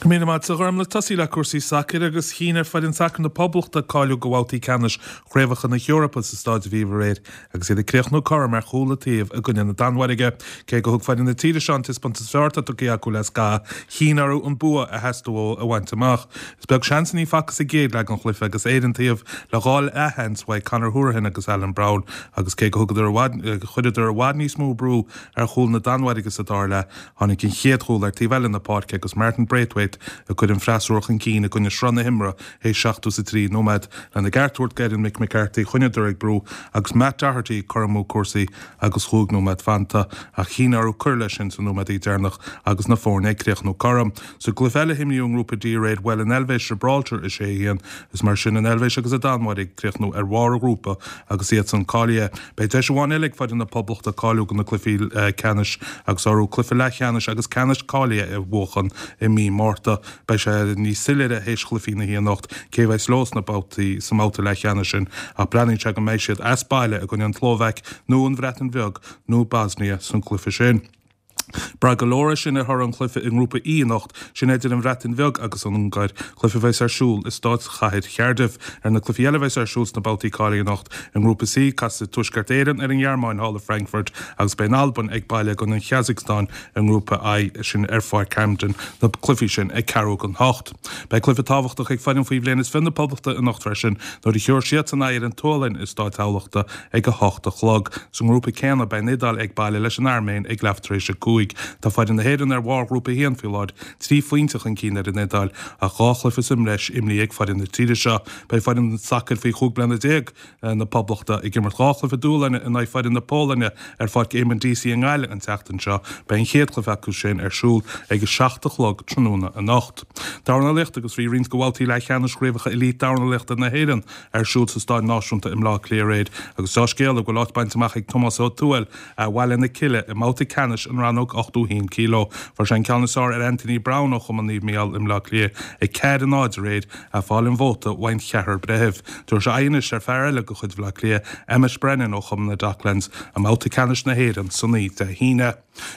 Go raibh míle maith agat a Ghormlaith. Tosaí le cúrsaí sacair agus chinn ar foireann sacair na Poblachta cáiliú go bhabhtaí ceannais Chraobhacha na hEorpa sa Stáid Aviva aréir agus iad ag críochnú cothrom ar chúl an taobh i gcoinne na Danmhairge. Cé go thug foireann na tíre seo an taispeántas is fearr atá tugtha acu le scaitheamh, chinn orthu an bua a theastaigh uathu a bhaint amach. Is beag seans a ní facthas sa gcéad leath den chluiche agus Éire an taobh le dhá leathsheans uaidh Conor Hourihane agus Alan Browne agus cé go thugadar i bhfad, chuireadar i bhfad níos mó brú ar chúl na Danmhairge sa dara leath, Tháinig an chéad chúl ar taobh eile na páirce agus Martin Braithwaite ag cur an freasúra chun cinn i gcoinne sruth na himeartha théis 73 nóiméad. Lena gceart a thabhairt d'fhoireann Mick McCarthy, choinneodar ag brú agus Matt Doherty ag cur amú cúrsaí agus chúig nóiméad fanta ach chinn orthu cur leis sin sna nóiméadaí deireanach agus na foirne ag críochnú cothrom. Sa gcluiche eile a himríodh i nGrúpa D aréir, bhuail an Eilvéis Gibraltar 6-1. Is mar sin an Eilvéis agus an Danmhairg ag críochnú ar bharr an ghrúpa agus iadsan cáilithe. Beidh deis amháin eile ag foireann na Poblachta cáiliú do na cluichí ceannais agus orthu cluiche leathcheannais agus ceannais cáilithe a bhuachan i mí Márta. Beidh sé níos soiléire théis chluichí na hoíche anocht cé a bheas leo sna babhtaí sa mbabhta leathcheannais sin ach breathnaíonn sé go mbeidh siad as baile i gcoinne an tSlóvaic nó an Bhreatain Bheag nó Bosnia san gcluiche sin. Braithfidh go leor é sin ar thoradh an chluiche i nGrúpa E anocht, sin idir an Bhreatain Bheag agus an Ungáir, cluiche a bheas ar siúl i Stáitchathair Chardiff. Ar na cluichí eile a bheas ar siúl sna babhtaí cáilithe anocht, i nGrúpa C, casfaidh Tuaisceart Éireann ar an nGearmáin thall i Frankfurt agus beidh an Albain ag baile i gcoinne an Chasacstáin i nGrúpa I, sin ar Pháirc Hampden, na cluichí sin ag ceathrú don hocht. Beidh cluiche tábhachtach ag foireann faoi bhliain is 20 na Poblachta anocht freisin nuair a thiúrfaidh siadsan aghaidh ar an tSualainn i Stáid Thamhlachta ag 8 a chlog. Sa ngrúpa céanna beidh an Iodáil ag baile leis an Airméin ag leath tar éis a 5. Tá foireann na hÉireann ar bharr Ghrúpa 1 faoi láthair, 3 phointe chun cinn ar an Iodáil ach dhá chluiche sa mbreis imrithe ag foireann na tíre seo. Beidh foireann sacair faoi 15 bliana na Poblachta ag imirt dhá chluiche dúshláin in aghaidh foireann na Polainne ar Pháirc Eamonn Deacy i nGaillimh an tseachtain seo. Beidh an chéad chluiche acu sin ar siúl ag 7 a chlog tráthnóna anocht. Dornálaíocht agus bhí roinnt de bhabhtaí leathcheannais Chraobhacha Elite Dornálaíochta na hÉireann ar siúl sa Stáid Náisiúnta i mBleá Cliath aréir agus deá-scéala go bhfuil áit bainte amach ag Tomás Ó Tuathail as Baile na Cille i mbabhta ceannais an rannóg 81 kg. Fuair sé an ceann is fearr ar Anthony Browne ó Chumann Naomh Mícheál i mBleá Cliath ag 4 0 aréir, ag fáil an vóta uaidh an cheathrar breithimh. Tabharfaidh sé aghaidh anois ar fear eile de chuid Bhaile Átha Cliath, Emmet Brennan ó Chumann na Docklands, i mbabhta ceannais na hÉireann san oíche Dé hAoine.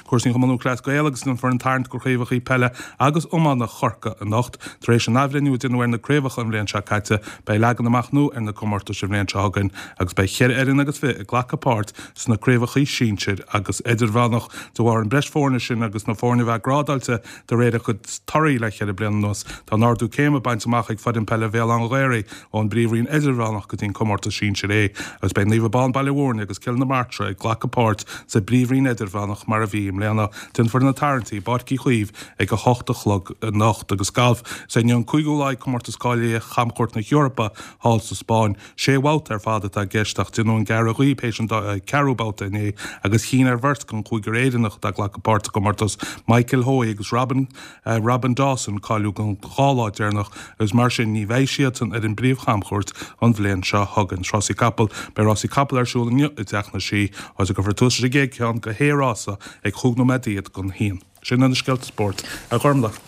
Cúrsaí Chumann Lúthchleas Gael agus déanfar an tarraingt do chraobhacha peile agus iomána Chorcaí anocht. Tar éis an athbhreithniú a déanadh ar na craobhacha an bhliain seo caite, beidh leagan amach nua ar na comórtais an bhliain seo chugainn agus beidh cheithre fhoireann agus fiche ag glacadh páirt sna craobhacha sinsir agus idirmheánach. De bharr an breis foirne sin agus na foirne a bheith grádáilte de réir a gcuid torthaí le cheithre bliana anuas, tá an ardú céime bainte amach ag foireann peile Bhéal Átha an Ghaorthaidh ón bPríomhroinn Idirmheánach go dtí an comórtas Sinsir A agus beidh Naomh Abán Baile Mhúirne agus Cill na Martra ag glacadh páirt sa bPríomhroinn Idirmheánach mar a bhí i mbliana. Déanfar na tarraingtí i bPáirc Uí Chaoimh ag 8 a chlog anocht agus galf. Is é inniu an cúigiú lá ag comórtas cáilithe Chamchuairt na hEorpa thall sa Spáinn. Sé bhabhta ar fad atá i gceist ach déanadh an gearradh dhíob théis an ceathrú babhta inné agus chinn ar bheirt den chúigear Éireannach atá ag glacadh páirt sa gcomórtas, Michael Hoey agus Robin Robin Dawson, cáiliú don dhá lá deireanach agus mar sin ní bheidh siadsan ar an bpríomh-chamchuairt an bhliain seo chugainn. Rásaí capall Beidh rásaí capall ar siúl inniu i dTeach na Sí, áit a gcuirfear tús leis an gcéad cheann de shé rása ag chúig nóiméad don haon. Sin iad na scéalta spóirt, a Ghormlaith.